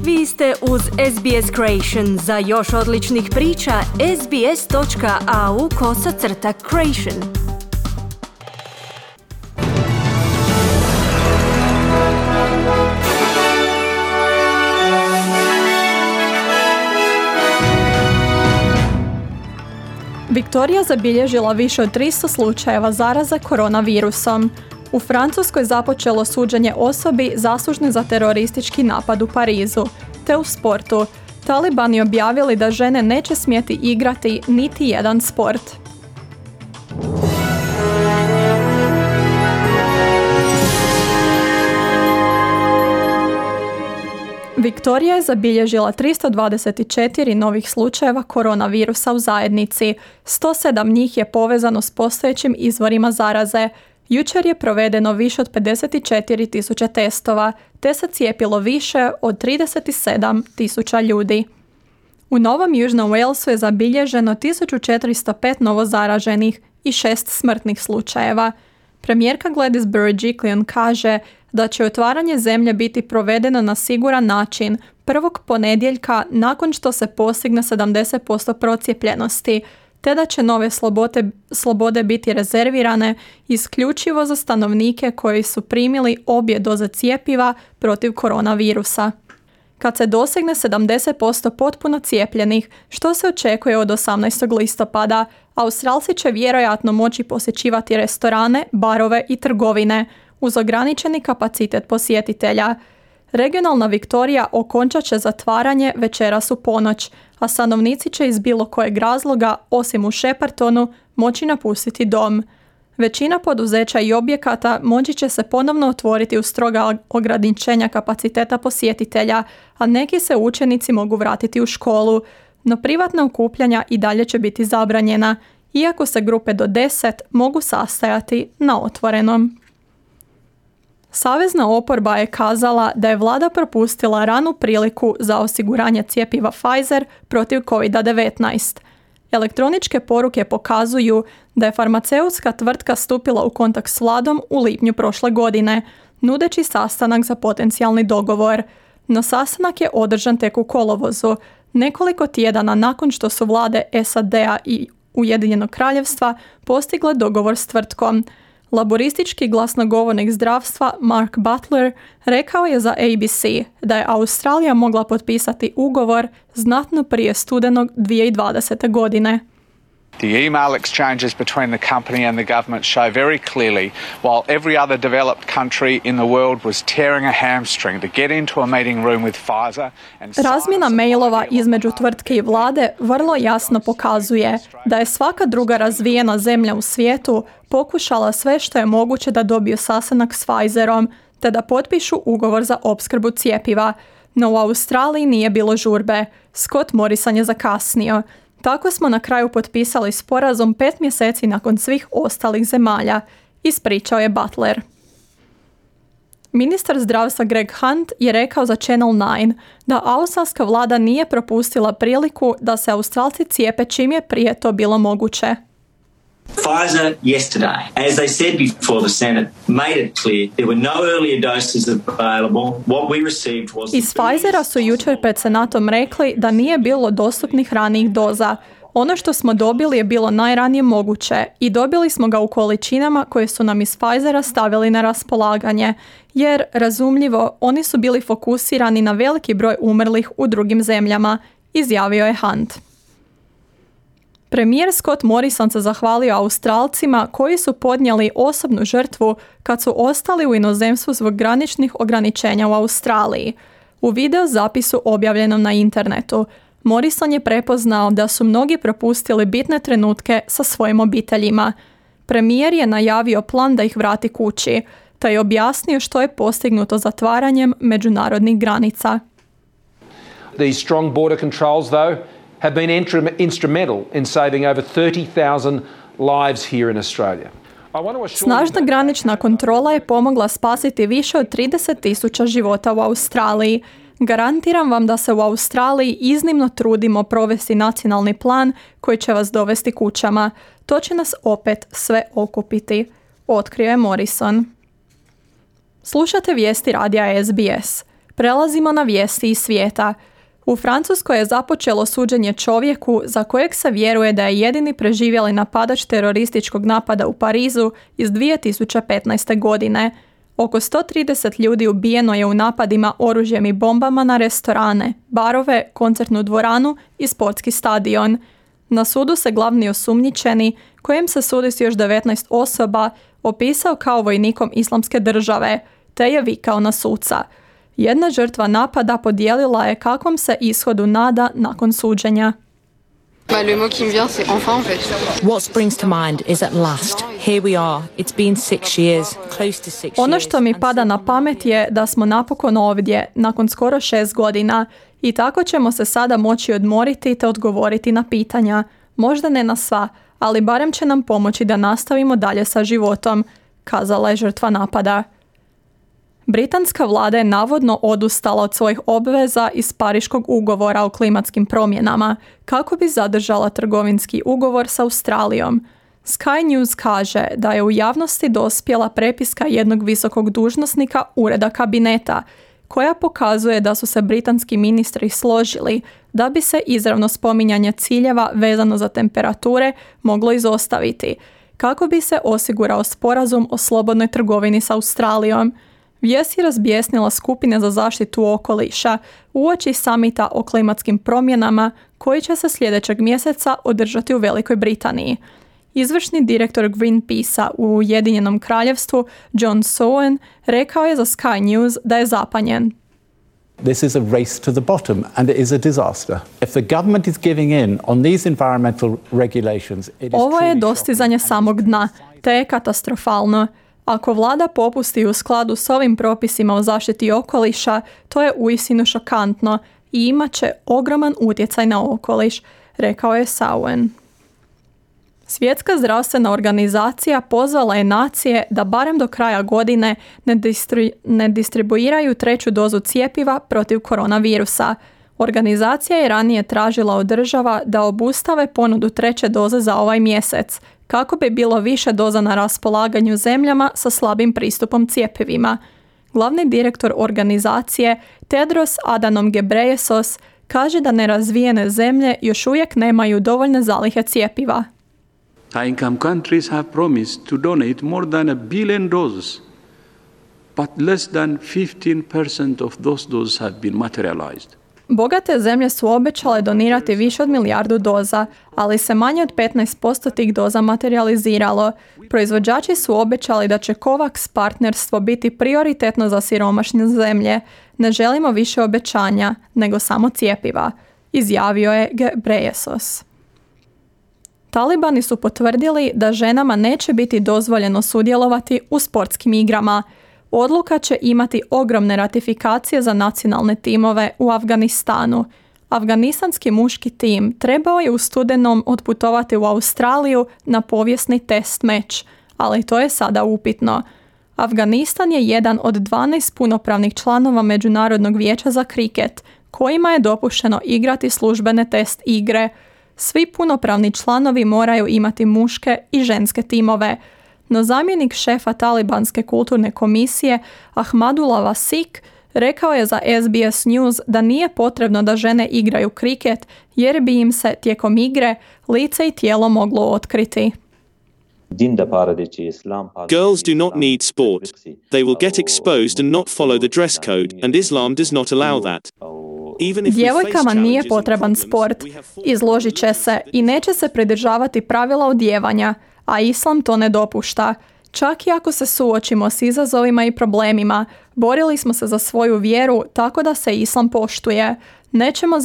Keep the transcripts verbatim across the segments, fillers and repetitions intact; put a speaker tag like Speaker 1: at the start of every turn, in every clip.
Speaker 1: Vi ste uz S B S Creation. Za još odličnih priča, sbs.au kosacrta creation.
Speaker 2: Viktorija zabilježila više od tristo slučajeva zaraze koronavirusom. U Francuskoj započelo suđenje osobi zaslužne za teroristički napad u Parizu, te u sportu. Talibani objavili da žene neće smjeti igrati niti jedan sport. Viktorija je zabilježila tristo dvadeset četiri novih slučajeva koronavirusa u zajednici. sto sedam njih je povezano s postojećim izvorima zaraze. Jučer je provedeno više od pedeset četiri tisuće testova, te se cijepilo više od trideset sedam tisuća ljudi. U Novom Južnom Walesu je zabilježeno tisuću četiristo pet novozaraženih i šest smrtnih slučajeva. Premijerka Gladys Berejiklian kaže da će otvaranje zemlje biti provedeno na siguran način prvog ponedjeljka nakon što se postigne sedamdeset posto procijepljenosti, te da će nove slobode, slobode biti rezervirane isključivo za stanovnike koji su primili obje doze cjepiva protiv koronavirusa. Kad se dosegne sedamdeset posto potpuno cijepljenih, što se očekuje od osamnaestog listopada, Australci će vjerojatno moći posjećivati restorane, barove i trgovine uz ograničeni kapacitet posjetitelja. Regionalna Viktorija okončat će zatvaranje večeras u ponoć, a stanovnici će iz bilo kojeg razloga, osim u Sheppartonu, moći napustiti dom. Većina poduzeća i objekata moći će se ponovno otvoriti uz stroga ograničenja kapaciteta posjetitelja, a neki se učenici mogu vratiti u školu, no privatna okupljanja i dalje će biti zabranjena, iako se grupe do deset mogu sastajati na otvorenom. Savezna oporba je kazala da je vlada propustila ranu priliku za osiguranje cjepiva Pfizer protiv covid devetnaest. Elektroničke poruke pokazuju da je farmaceutska tvrtka stupila u kontakt s vladom u lipnju prošle godine, nudeći sastanak za potencijalni dogovor. No sastanak je održan tek u kolovozu, nekoliko tjedana nakon što su vlade S A D-a i Ujedinjenog kraljevstva postigle dogovor s tvrtkom. Laboristički glasnogovornik zdravstva Mark Butler rekao je za A B C da je Australija mogla potpisati ugovor znatno prije studenog dvije tisuće dvadesete. godine.
Speaker 3: The email exchanges between the company and the government show very clearly, while every other developed country in the world was tearing a hamstring to get into a meeting room with Pfizer and
Speaker 2: Razmjena mailova između tvrtke i vlade vrlo jasno pokazuje da je svaka druga razvijena zemlja u svijetu pokušala sve što je moguće da dobiju sastanak s Pfizerom, te da potpišu ugovor za opskrbu cjepiva. No u Australiji nije bilo žurbe. Scott Morrison je zakasnio. Tako smo na kraju potpisali sporazum pet mjeseci nakon svih ostalih zemalja, ispričao je Butler. Ministar zdravstva Greg Hunt je rekao za Channel nine da australska vlada nije propustila priliku da se Australci cijepe čim je prije to bilo moguće.
Speaker 4: Pfizer yesterday, as they said before the Senate, made it clear there were no earlier doses available. What we received was...
Speaker 2: Iz Pfizera su jučer pred Senatom rekli da nije bilo dostupnih ranijih doza. Ono što smo dobili je bilo najranije moguće i dobili smo ga u količinama koje su nam iz Pfizera stavili na raspolaganje, jer, razumljivo, oni su bili fokusirani na veliki broj umrlih u drugim zemljama, izjavio je Hunt. Premijer Scott Morrison se zahvalio Australcima koji su podnijeli osobnu žrtvu kad su ostali u inozemstvu zbog graničnih ograničenja u Australiji. U video zapisu objavljenom na internetu, Morrison je prepoznao da su mnogi propustili bitne trenutke sa svojim obiteljima. Premijer je najavio plan da ih vrati kući, te je objasnio što je postignuto zatvaranjem međunarodnih granica.
Speaker 5: These strong border controls, though, have been instrumental in saving over thirty thousand lives here in Australia.
Speaker 2: Snažna granična kontrola je pomogla spasiti više od trideset tisuća života u Australiji. Garantiram vam da se u Australiji iznimno trudimo provesti nacionalni plan koji će vas dovesti kućama. To će nas opet sve okupiti, otkrio je Morrison. Slušate vijesti radija S B S. Prelazimo na vijesti iz svijeta. U Francuskoj je započelo suđenje čovjeku za kojeg se vjeruje da je jedini preživjeli napadač terorističkog napada u Parizu iz dvije tisuće petnaeste. godine. Oko sto trideset ljudi ubijeno je u napadima oružjem i bombama na restorane, barove, koncertnu dvoranu i sportski stadion. Na sudu se glavni osumnjičeni, kojem se sudi s još devetnaest osoba, opisao kao vojnikom Islamske države, te je vikao na suca. Jedna žrtva napada podijelila je kakvom se ishodu nada nakon suđenja.
Speaker 6: Le mot qui me vient, c'est enfin, en fait.
Speaker 7: What springs to mind is at last. Here we are. It's been six years, close to six years.
Speaker 2: Ono što mi pada na pamet je da smo napokon ovdje, nakon skoro šest godina, i tako ćemo se sada moći odmoriti te odgovoriti na pitanja. Možda ne na sva, ali barem će nam pomoći da nastavimo dalje sa životom, kazala je žrtva napada. Britanska vlada je navodno odustala od svojih obveza iz Pariškog ugovora o klimatskim promjenama kako bi zadržala trgovinski ugovor s Australijom. Sky News kaže da je u javnosti dospjela prepiska jednog visokog dužnosnika ureda kabineta koja pokazuje da su se britanski ministri složili da bi se izravno spominjanje ciljeva vezano za temperature moglo izostaviti kako bi se osigurao sporazum o slobodnoj trgovini s Australijom. Vijest je razbjesnila skupine za zaštitu okoliša uoči samita o klimatskim promjenama koji će se sljedećeg mjeseca održati u Velikoj Britaniji. Izvršni direktor Greenpeacea u Ujedinjenom kraljevstvu John Sowen rekao je za Sky News da je zapanjen.
Speaker 8: This is a race to the bottom and it is a disaster. If the government is giving in on these environmental regulations, it is
Speaker 2: Ovo je
Speaker 8: truly
Speaker 2: dostizanje
Speaker 8: shocking.
Speaker 2: samog dna, te je katastrofalno. Ako vlada popusti u skladu s ovim propisima o zaštiti okoliša, to je uistinu šokantno i imat će ogroman utjecaj na okoliš, rekao je Sowen. Svjetska zdravstvena organizacija pozvala je nacije da barem do kraja godine ne, distri, ne distribuiraju treću dozu cjepiva protiv koronavirusa. Organizacija je ranije tražila od država da obustave ponudu treće doze za ovaj mjesec, kako bi bilo više doza na raspolaganju zemljama sa slabim pristupom cjepivima. Glavni direktor organizacije Tedros Adhanom Ghebreyesus kaže da nerazvijene zemlje još uvijek nemaju dovoljne zalihe cjepiva.
Speaker 9: High-income countries have promised to donate more than a billion doses, but less than fifteen percent of those doses have been materialized.
Speaker 2: Bogate zemlje su obećale donirati više od milijardu doza, ali se manje od petnaest posto tih doza materializiralo. Proizvođači su obećali da će COVAX partnerstvo biti prioritetno za siromašne zemlje. Ne želimo više obećanja, nego samo cjepiva, izjavio je Ghebreyesus. Talibani su potvrdili da ženama neće biti dozvoljeno sudjelovati u sportskim igrama. Odluka će imati ogromne ratifikacije za nacionalne timove u Afganistanu. Afganistanski muški tim trebao je u studenom otputovati u Australiju na povijesni test meč, ali to je sada upitno. Afganistan je jedan od dvanaest punopravnih članova Međunarodnog vijeća za kriket, kojima je dopušteno igrati službene test igre. Svi punopravni članovi moraju imati muške i ženske timove. No zamjenik šefa talibanske kulturne komisije Ahmadullah Vasik rekao je za S B S News da nije potrebno da žene igraju kriket jer bi im se tijekom igre lice i tijelo moglo otkriti.
Speaker 10: Girls do not need sport. They will get exposed and not follow the dress code, and Islam does not allow that.
Speaker 2: Djevojkama nije potreban sport, izložit će se i neće se pridržavati pravila odijevanja, a Islam to ne dopušta. Čak i ako se suočimo s izazovima i problemima, borili smo se za svoju vjeru tako da se Islam poštuje. Nećemo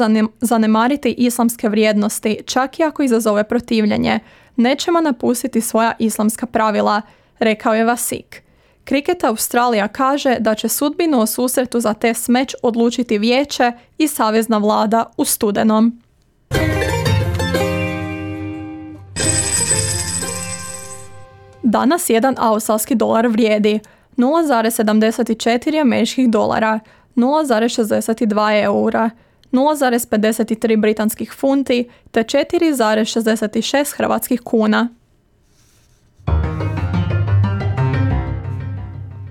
Speaker 2: zanemariti islamske vrijednosti, čak i ako izazove protivljenje. Nećemo napustiti svoja islamska pravila, rekao je Vasik. Kriket Australija kaže da će sudbinu o susretu za test meč odlučiti vijeće i savezna vlada u studenom. Danas jedan australski dolar vrijedi nula zarez sedamdeset četiri američkih dolara, nula zarez šezdeset dva eura, nula zarez pedeset tri britanskih funti te četiri zarez šezdeset šest hrvatskih kuna.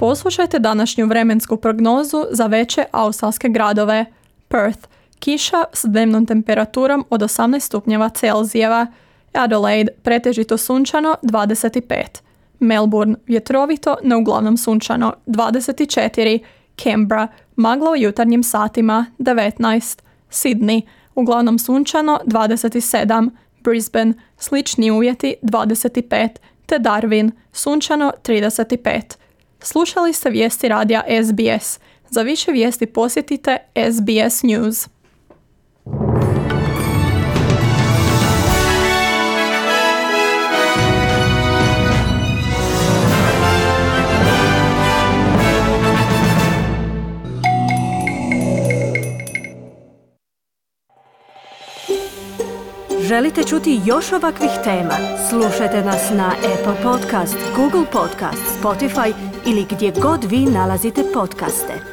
Speaker 2: Poslušajte današnju vremensku prognozu za veće australske gradove. Perth, kiša s dnevnom temperaturom od osamnaest stupnjeva Celzijeva. Adelaide, pretežito sunčano, dvadeset pet. Melbourne, vjetrovito, no uglavnom sunčano, dvadeset četiri. Canberra, magla u jutarnjim satima, devetnaest. Sydney, uglavnom sunčano, dvadeset sedam. Brisbane, slični uvjeti, dvadeset pet. Te Darwin, sunčano, trideset pet. Slušali ste vijesti radija S B S. Za više vijesti posjetite S B S News.
Speaker 1: Želite čuti još ovakvih tema? Slušajte nas na Apple Podcast, Google Podcast, Spotify ili gdje god vi nalazite podcaste.